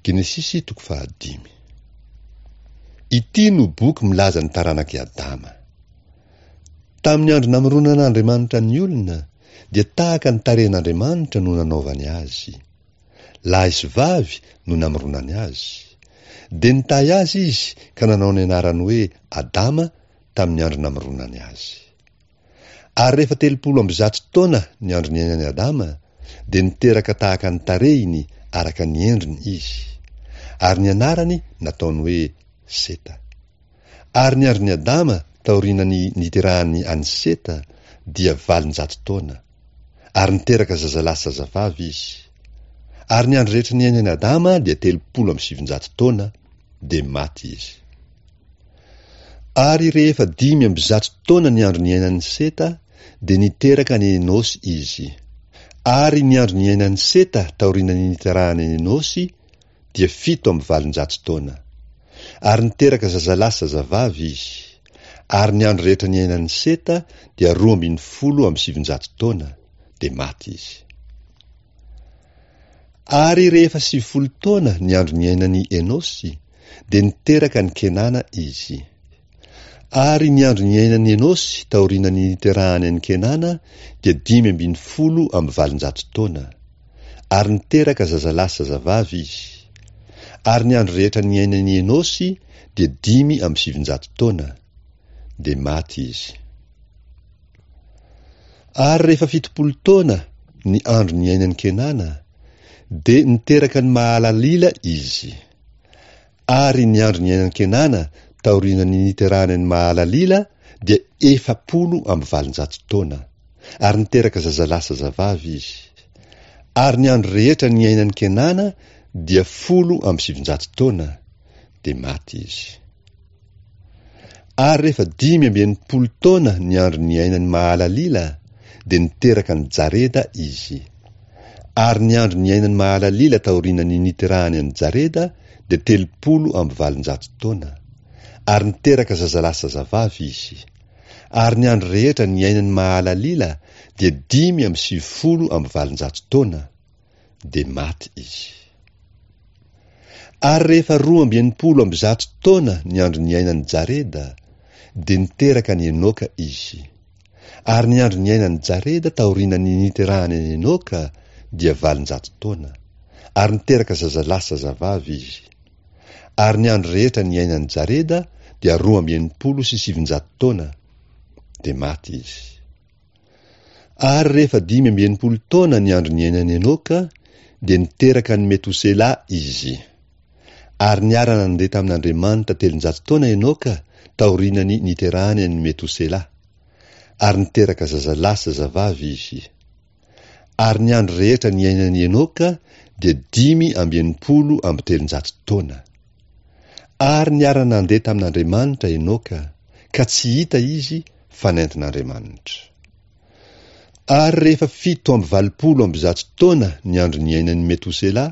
Genesisy toko fahadimy. Ity no boky milaza ny taranak'i Adama. Tamin'ny andro namoronan'Andriamanitra ny olona, dia tahaka ny tarehin'Andriamanitra no nanaovany azy. Lahy sy vavy no namoronany azy. Dia nitahy azy izy ka nanao ny anarany hoe Adama tamin'ny andro namoronany azy. Ary rehefa 130 taona ny andro niainan'i Adama, dia niteraka tahaka ny tarehiny araka ny endriny izy. Ary ny anarany nataony hoe Seta. Ary ny andron'i Adama taorian'ny niterahany an'i Seta dia 800 taona. Ary niteraka zazalahy sy zazavavy izy. Ary ny andro rehetra niainan'i Adama dia 930 taona, dia maty izy. Ary rehefa 105 taona ny andro niainan'i Seta, dia niteraka an'i Enosy izy. Ary ny andro niainan'i Seta taorian'ny niterahany an'i Enosy dia 807 taona. Ary niteraka zazalahy sy zazavavy izy. Ary ny andro rehetra niainan'i Seta dia 912 taona, dia maty izy. Ary rehefa 90 taona ny andro niainan'i Enosy, dia niteraka an'i Kenana izy. Ary ny andro niainan'i Enosy taorian'ny niterahany an'i Kenana dia 815 taona. Ary niteraka zazalahy sy zazavavy izy. Ary ny andro rehetra niainan'i Enosy dia 905 taona, dia maty izy. Ary rehefa 70 taona ny andro niainan'i Kenana, dia niteraka an'i Mahalalila izy. Ary ny andro niainan'i Kenana taorian'ny niterahany an'i Mahalalila dia 840 taona. Ary niteraka zazalahy sy zazavavy izy. Ary ny andro rehetra niainan'i Kenana dia 910 taona, dia maty izy. Ary rehefa 65 taona ny andro niainan'i Mahalalila, dia niteraka an'i Jareda izy. Ary ny andro niainan'i Mahalalila taorian'ny niterahany an'i Jareda dia 830 taona. Ary niteraka zazalahy sy zazavavy izy. Ary ny andro rehetra niainan'i Mahalalila dia 895 taona, dia maty izy. Ary rehefa 162 taona ny andro niainan'i Jareda, dia niteraka an'i Enoka izy. Ary ny andro niainan'i Jareda taorian'ny niterahany an'i Enoka dia 800 taona. Ary niteraka zazalahy sy zazavavy izy. Ary ny andro rehetra niainan'i Jareda dia 962 taona, dia maty izy. Ary rehefa 65 taona ny andro niainan'i Enoka, dia niteraka an'i Metosela izy. Ary niara-nandeha tamin'Andriamanitra 300 taona Enoka taorian'ny niterahany an'i Metosela. Ary niteraka zazalahy sy zazavavy izy. Ary ny andro rehetra niainan'i Enoka dia 365 taona. Ary niara-nandeha tamin'Andriamanitra Enoka, ka tsy hita izy fa nentin'Andriamanitra. Ary rehefa 187 taona ny andro niainan'i Metosela,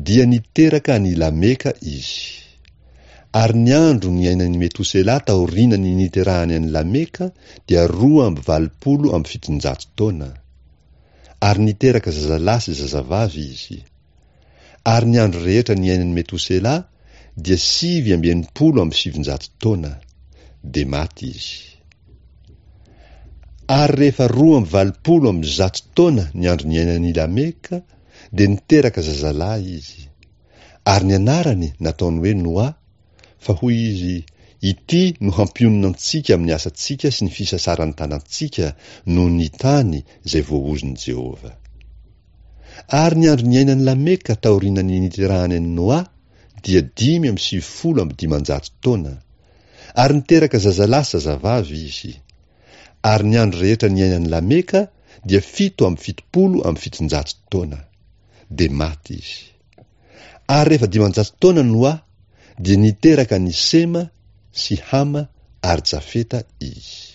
dia niteraka an'i Lameka izy. Ary ny andro niainan'i Metosela taorian'ny niterahany an'i Lameka dia 782 taona. Ary niteraka zazalahy sy zazavavy izy. Ary ny andro rehetra niainan'i Metosela dia 969 taona, dia maty izy. Ary rehefa 182 taona ny andro niainan'i Lameka, dia niteraka zazalahy izy. Ary ny anarany nataony hoe Noa, fa hoy izy, Ity no hampionona antsika amin'ny asantsika sy ny fisasaran'ny tanantsika noho ny tany izay voaozon'i Jehovah. Ary ny andro niainan'i Lameka taorian'ny niterahany an'i Noa dia 595 taona. Ary niteraka zazalahy sy zazavavy izy. Ary ny andro rehetra niainan'i Lameka dia 777 taona. Dia maty izy. Ary rehefa 500 taona Noa, dia niteraka an'i Sema sy Hama ary Jafeta izy.